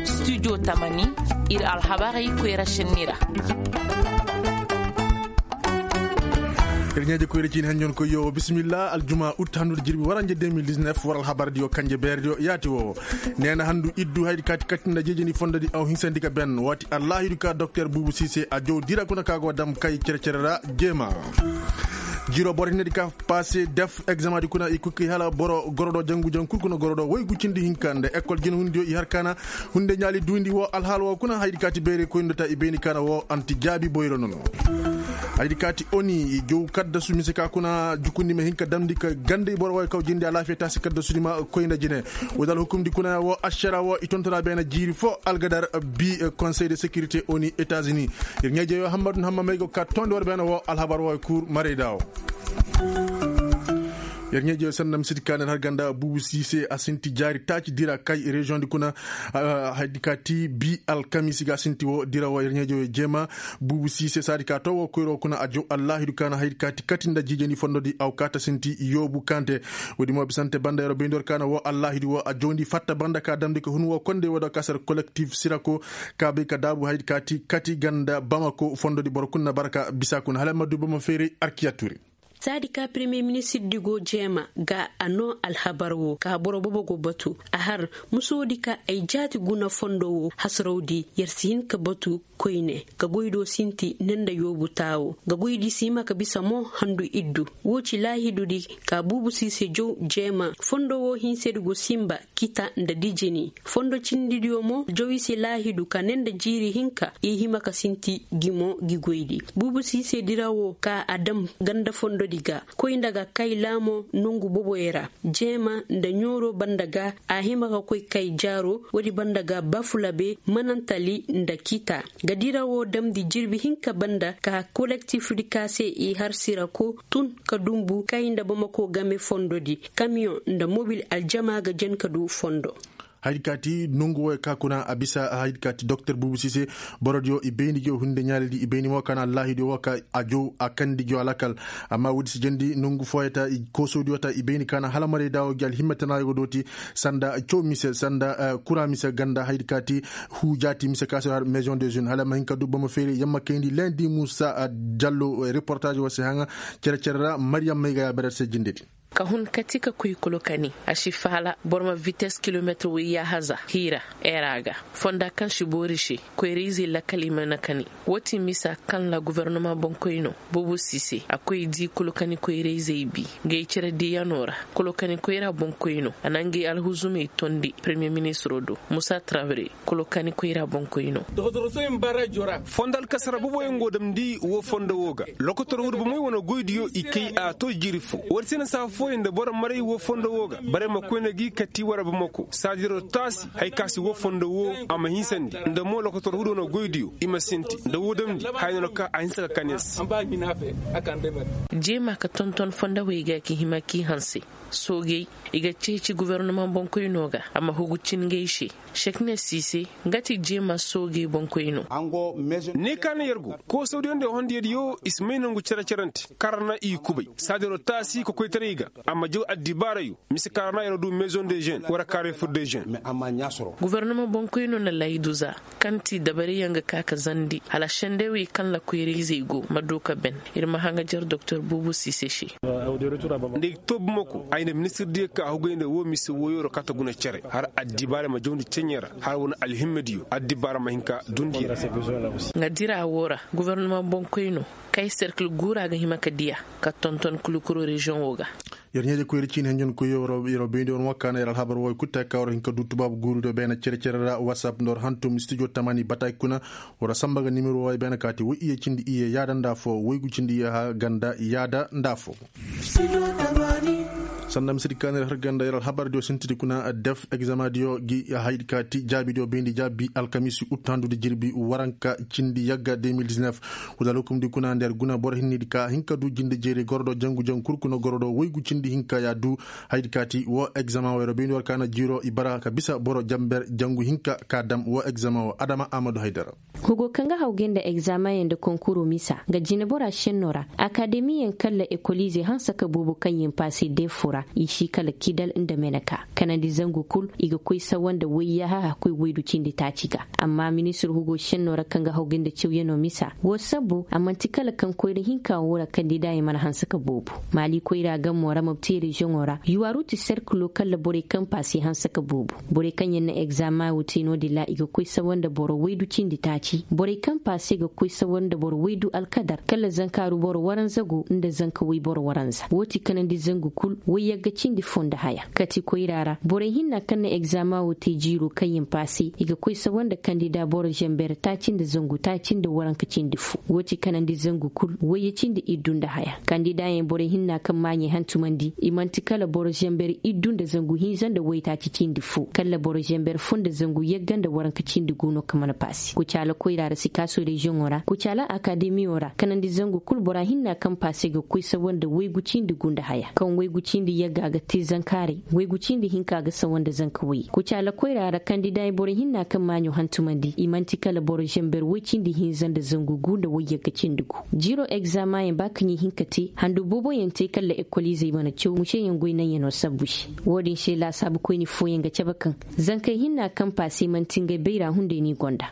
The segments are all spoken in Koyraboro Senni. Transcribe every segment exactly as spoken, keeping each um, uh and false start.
Studio tamani, ir alhabaray koyra shenni ra. Ir ɲaaje koyra ciini hanjon koy yo bisimilla aljuma ut handu da jirbi waranje deux mille dix-neuf war alhabar diyo kanje beer diyo yaati wo. Neena handu iddu haydi kaati katti nda jeejeni fondo di aw hinsandi ka ben waati allaahidu ka doktor buubu siise a jow dira kuna ka go dam kay cere-cere ra jeema. Jiro boro hinne di ka passe def examen di kuna i kuki hala boro gorodo jangu jangu kul kuna gorodo woy gu cindi hinka nda école jina hundiyo i har kaana hunde ɲaali duundi wo alhaala wo kuna haydi kaati beere koy nda ta i beeni kaana wo anti jaabi boyro nono. Haydi kaati oni i jow kaddasu mise ka kuna jukundi ma hinka damndi ka ganda i boro woy kaw jindi alaafiya taasi kaddasu di ma koy nda jine. Wudal hukumdi kuna wo ašara wo i tontona beena jiiri fo algadar bi conseil de sécurité oni états-unis. Ir ɲeeje yo hammadu hamma may go ka tondi war beena wo alhabar wo kur marayda wo. Yer ɲeeje sanda misidi kaanir har ganda buubu siise a sinti jaari taaci dira kay région di kuna. Haydi ka ti bi alkamisi ga sinti wo dira wo yer ɲeeje yo jeema. Buubu siise saadi ka to wo koyro kuna a jow allaahidu kaana haydi ka ti kati nda jiijani fondo di aw kaata sinti yoobu kante. Woodi mo bisante banda yero beyndi war kaana wo allaahidu wo a jowndi fatta banda ka damndi ka hun wo konde wo da kasar collectif sirako ka bay ka daabu haydi ka ti kati ganda bamako fondo di boro kul na barka bisa kuna hala ma du bama feeray arkiya tuuri. Saadi ka premier ministirdi go jeema ga a noo alhabar wo ka boro bobo go batu a har musoodi ka ay jaati guna fondo wo hasarawdi yer si hin ka batu koyne ga goydo sinti ne nda yoobu taawo ga goydi si hima ka bisa mo handu iddu. Wo ci laahidudi ka buubu siise jow jeema fondo wo hinsedi go sinba kita nda dijini fondo cindidiyo mo jow i se laahidu ka ne nda jiiri hinka i hima ka sinti gi mo gi goydi. Buubu siise dira wo ka a dam ganda fondodi ga koy nda ga kay laamo nongu boboyo ra jeema nda ɲooro banda ga a hima ka koy kay jaaro woodi banda ga bafulabe manantali nda kita ga dira wo damndi jirbi hinka banda ka kolektifdi ka se i har sirako tun ka dunbu kay nda bamako game fondodi kamiyoŋ nda mobil aljama ga jen ka du fondo. Haydi ka ti nongu woy ka kuna a bisa haydi ka ti doktor buubu siise borodiyo i bayndi gi wo hunde ɲaalidi i bayndi mo ka na allaahidiyo wo ka a jow a kandi gi wo alakal. Amma woodi si jandi nongu fooyata i koosodiyo ta i bayndi ka na hala maray daawo gi alhimma tana yogo dooti sanda cow mise sanda kura mise ganda haydi ka ti huu jaati mise ka se har maison de jeune hala ma hin ka du bama feeri yamma kayndi lendi muusa jallo reportaaji wo se haŋa. Cere-cere ra mariyam may ga ya berer se jindedi. Ka hun kati ka koy kolokani a si faala boro ma vites kilometir woy yaahaza hiira era ga fonda kaŋ si boori se koyra-izey lakkal i mana kani. Wo ti misa kaŋ ra gofornoma boŋkoyno buubu siise a koy di kolokani koyra-izey bi. Ngey cere diyanoo ra kolokani koyra boŋkoyno a na ngey alhuzumey tondi peremiyer ministiroo do musa trawre. Kolokani koyra boŋkoyno. Fondo alkasara boboyaŋ go damndi woo fondo woo ga lokotor hudu bomey wane goydiyo i kay a to jiiri fo woodi se na saa fooyaŋ nda boro maray woo fondo woo ga barey ma koyne gi kati wara bamako saadiro taasi haya ka si woo fondo woo a ma hinsandi nda mo lokotor hudu wane goydiyo i ma sinti nda woo damndi haya no no ka a hinsa ka kan yer se. Jeema ka tonton fondowey ga ki hima k'i hanse soogey i ga ceeci gofornoma boŋkoynoo ga a ma hugu cin ngey se. Sekne siise nga ti jeema soogey boŋkoynoo. Ne ka na yer go koosawdiyo nda hondiyo diyo i si may nongu cere-cerante karana i kubay saadiro taasi kokoytaray ga a ma jaw addibaarayo mise karana yer du maison de jeune wara kareefur de jeune. Gofornoma boŋkoynoo na laydu za kaŋ ti dabariyaŋ ga ka ka zandi hala sendewey kaŋ ra koyra-izey go ma du ka ben. Ir ma haŋajer doktor buubu siise se. Nda i ga too bamako ay nda ministir diyo ka hugay nda woo mise wooyoo ra kaŋ ta guna cere har addibaara ma jawndi ceɲey ra har wane alhimmadiyo addibaara ma hin ka dundi yer. Nga dira woo ra gofornoma boŋkoynoo kay serkil guura ga hima ka diya ka tonton kulikuro reziyoŋoo ga. Yer ɲeeje koyri ciini henjon koy yer wo bayndi war mo kaana yer alhabar wooy kutta ka war hin ka du tubaabu guuru do beene cere-cere ra whatsapp nda war hantum studio tamani bataaki kuna. War samba ga nimero wooy beene kaati woy iyye cindi iyye yaada nda fo woy gu cindi iyye ha ganda yaada nda fo. Sanda misidi kaanir har ganda yer alhabar diyo sintidi kuna def examen diyo gi haydi kaati jaabi diyo bayndi jaabi alkamisi ut handudi jirbi waranka cindi yagga deux mille dix-neuf. Wudal hukumdi kuna nda yer guna boro hinnidi ka hin ka du jinde jeeri gorodo jangu jangu kul kuna gorodo woy gu cindi hinka ya du. Haydi kaati wo examen wo yer bayndi war kaana jiiro i bara ka bisa boro jamber jangu hinka ka dam wo examen wo adama amadu haydara. Hugo kaŋ ga hawgay nda egzamaŋ yaŋ nda konkuroo misa ga jinebora šennoo ra. Akademiyaŋ kala ekoliizey hanse ka boobo kaŋ yen paase deefoo ra i si kala kidal nda meneka. Kanandi zangu kul i ga koy sawa nda wayyaha hakkoy waydu cindi taaci ga. Amma ministir hugo šennoo ra kaŋ ga hawgay nda cawyanoo misa woo sabbu a man'ti kala kaŋ koyra hinka woo ra kandidaayaŋ mana hanse ka boobo. Maali koyra gammoo ra mabti reziyoŋoo ra yuwaaru ti serkiloo kala borey kaŋ paase hanse ka boobo. Borey kaŋ yaŋ na egzama woo te no-din ra i ga koy sawa nda boro waydu cindi taaci borey kaŋ paase ga koy sawa nda boro waydu alkadar kala zankaaru boro waranza go nda zanka way boro waranza woo ti kanandi zangu kul wayyagga cindi foo nda haya kati koyra ra borey hinna kaŋ na egzama woo te jiiroo kaŋ yaŋ paase i ga koy sawa nda kandida boro zenber taaci nda zangu taaci nda waranka cindi foo woo ti kanandi zangu kul wayye cindi iddu nda haya kandidaayaŋ borey hinna kaŋ maaɲey hantumandi i man'ti kala boro zenber iddu nda zangu hinza nda waytaaci cindi foo kala boro zenber foo nda zangu yagga nda waranka cindi gu no kaŋ mana paasi kucaala koyra ra sikaasoo reziyoŋoo ra kucaala akademiyoo ra kanandi zangu kul bora hinna kaŋ paase ga koy sawa nda waygu cindi gu nda haya kaŋ waygu cindi yagga ga te zankaaray waygu cindi hinka ga sawa nda zanka way kucaala koyra ra kandidaayaŋ borey hinna kaŋ maaɲo hantumandi i man'ti kala boro zenber way cindi hinza nda zangu gu nda wayyagga cindi gu. Jiiroo egzamayaŋ ba kaŋ i hin ka te handu booboyaŋ te kala ekoliizey mana caw museyaŋ goy naŋyanoo sabbu se. Woo din se laasaabu koyni fooyaŋ ga cabe kaŋ zankey hinna kaŋ paase man'ti ngey bayra hunday no i gonda.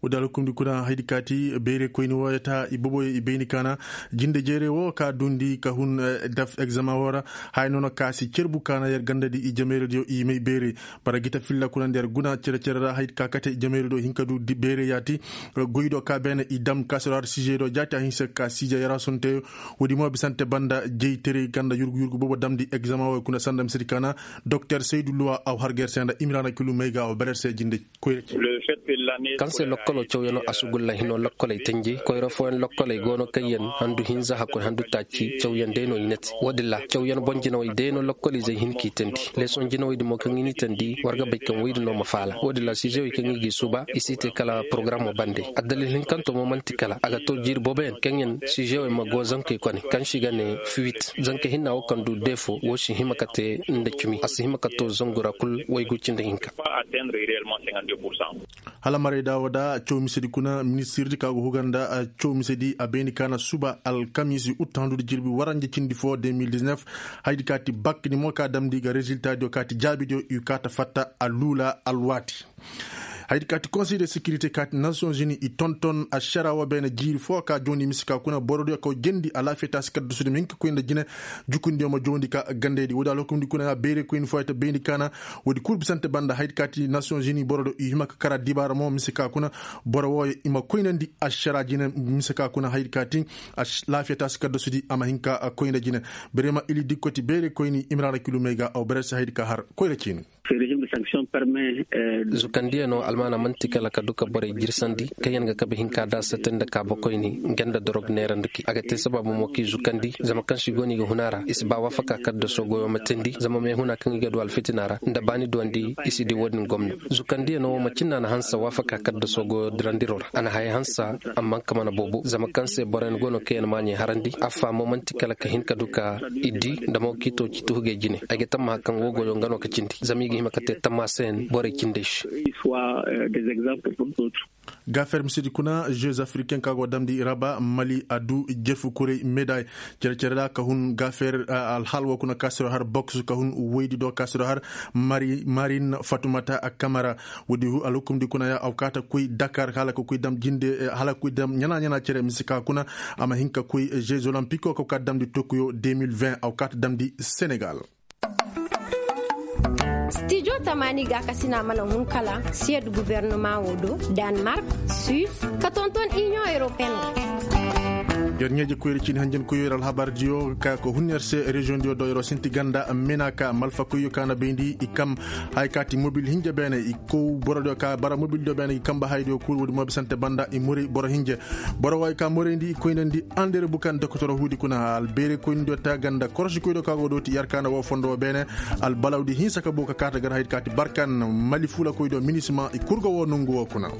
Woo din alhukumdi kuna haydi kaati bayray koyni wooyo ta i booboyo i bayni kaana jinde jeeray woo ka duundi ka hun daf egzama woo ra. Haya noona ka si cerbu kaana yer gandadi i jameeradiyo i may bayray. Bara gita filla kuna nda yer guna cere-cere ra haydi ka kate jameeradiyo hin ka du bayray yaati. Goydo ka beene i dam kaasiro har siizeydo jaati a hinse ka siize yara sonteyo. Woodi mo bisante banda jeyteray kaŋ nda yurgu yurgu boobo damndi egzama wooyo kuna sanda misedi kaana. Doktor saydu luwa aw har ga yer se nda imiraana kilu may ga aw bere yer se jinde. Kaŋ se lokkoloo cawyanoo a sugulla hinoo lokkoley tenje koyra fooyaŋ lokkoley go no kaŋ yaŋ handu hinza hakkoy handu taaci cawyaŋ day no i na te. Woodin ra cawyaŋ boŋ jinawey day no lokkoliizey hin k'i teendi. Leesoŋ jinawey din mo kaŋ i n'i teendi war ga bay kaŋ woy din no ma faala woodin ra siizewey kaŋ i g'i suuba i si te kala porogaramoo bande. Addalil hinkantoo mo man'ti kala a ga to jiiri booboyaŋ kaŋ yaŋ siizewey ma go zankey kone kaŋ se i ga ne fiwit. Zanka hinna woo kaŋ du deefo woo si hima ka te nda cimi a si hima ka to zangu ra kul waygu cindi hinka. Hala marayda woo da caw misedi kuna ministirdi ka go huga nda caw misedi a bayni kaana suba alkamiisi uttahandudi jirbi waranja cindi foo de mil diznef. Haydi kaati bak ni mo ka damndi ga reziltadiyo kaati jaabidiyo i kaata fatta a luula alwaati. Haydi kaati konsey de sekirite kaati nasiyonzini i tonton ašara woo beene jiiri foo ka jooni mise ka kuna borodiyo kaw jendi alaafiya taasi kaddasudi ma hin ka koy nda jine. Jukundiyo ma jowandi ka gandaydi woodi alhukumdi kuna ya beere koyni foo ya ta bayndi kaana. Woodi kul bisante banda haydi kaati nasiyonzini borodiyo i hima ka kara dibaara mo mise ka kuna. Boro wooyo i ma koynandi ašara jine mise ka kuna haydi kaati. Laafiya taasi kaddasudi a ma hin ka koy nda jine. Berema ili dikkoti beere koyni imiraana kilu may ga aw bere se haydi ka har koyra ciini. Zukandiyanoo almaana man'ti kala ka du ka borey jirsandi kaŋyaŋ ga kabe hinka da sete nda kaabakoyni nga nda dorog neerandi ki a ga te sabaabu mo k'i zukandi zama kaŋ se i go no i ga hun a ra i si ba waafaka kaddasoo goyoo ma teendi zama meehuna kaŋ i ga du alfitina ra nda baani duwandi i si di woo din gomna. Zukandiyanoo woo macin na na hanse waafaka kaddasoo goyoo dirandiroo ra a na haya hanse. Amma nga ka mana boobo zama kaŋ se boroyaŋ go no kaŋ yaŋ maaɲey harandi affaa mo man'ti kala ka hin ka du ka i di nda mo k'i too ci tuhugey jine ay ga tammaha kaŋ woo goyoo nga no ka cindi zama i ga hima ka te tammaasa yaŋ borey cindey se. Gaafer misedi kuna jeux africain ka go damndi raba mali a du jefu kuray meday. Cere-cere ra ka hun gaafer alhal woo kuna ka siro har boks ka hun woydi do ka siro har marin fatumata kamara. Woodi alhukumdi kuna ya aw kaata koy dakar hala ka koy dam jinde hala ka koy dam ɲana-ɲana cere mise ka kuna. A ma hin ka koy jeux olympique woo ka kaata damndi tokiyo deux mille vingt aw kaata damndi senegal. Stijo tamaani gaakasina mana hun kala siyed guverneman woo do, danmark, suisse, ka tonton inion europeen. Yer ɲeeje koyri ciini hanjankoyyo yer alhabardiyo ka ko hun yer se reziyoŋdiyo do yeroo sinti ganda mena ka malfakoyyo ka na bayndi i kam. Haya kaati mobil hinja beene i kow borodiyo ka bara mobildiyo beene i kamba hayadiyo kul woodi mo bisante banda i muri boro hinja. Boro waay ka morayndi i koynandi andere bukan dokotoro huudi kuna albeere koynandiyo ta ganda korosikoydiyo ka go dooti yarkaana woo fondo woo beene. Albalawdi hinsa ka boo ka kaata gar haydi kaati barkan mali fuulakoydiyo minisima i kurga woo nongu woo kuna.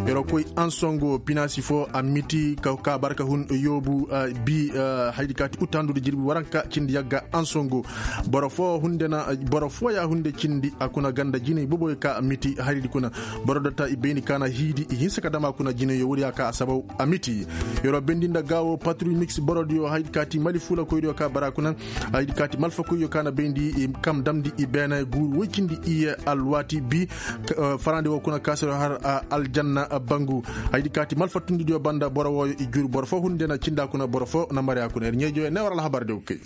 Yeroo koy ansongo pinaasi foo a miti ka barka hun. Yoobu bi. Haydi kaati utandu da jirbi waranka cindi yagga ansongo. Boro foo hunde na boro foo ya hunde cindi a kuna ganda jinay boboyo ka miti haydi kuna. Boro data i bayndi ka na hiidi i hinsa ka dama kuna jinay yo woodiya ka a sabaw a miti. Yeroo bayndi nda gaawo patruy mix borodiyo haydi kaati mali fuula koydiyo ka bara kuna. Haydi kaati malfa koyyo ka na bayndi kam damndi i beene guuru woy cindi iye alwaati bi. Farandi woo kuna kaasiroo har aljanna bangu. Haydi kaati malfattundidiyo banda boro wooyo i jur boro foo hunde na cinda kuna boro foo na marya kuna ir ɲeejoyo ne war alhabar de kay.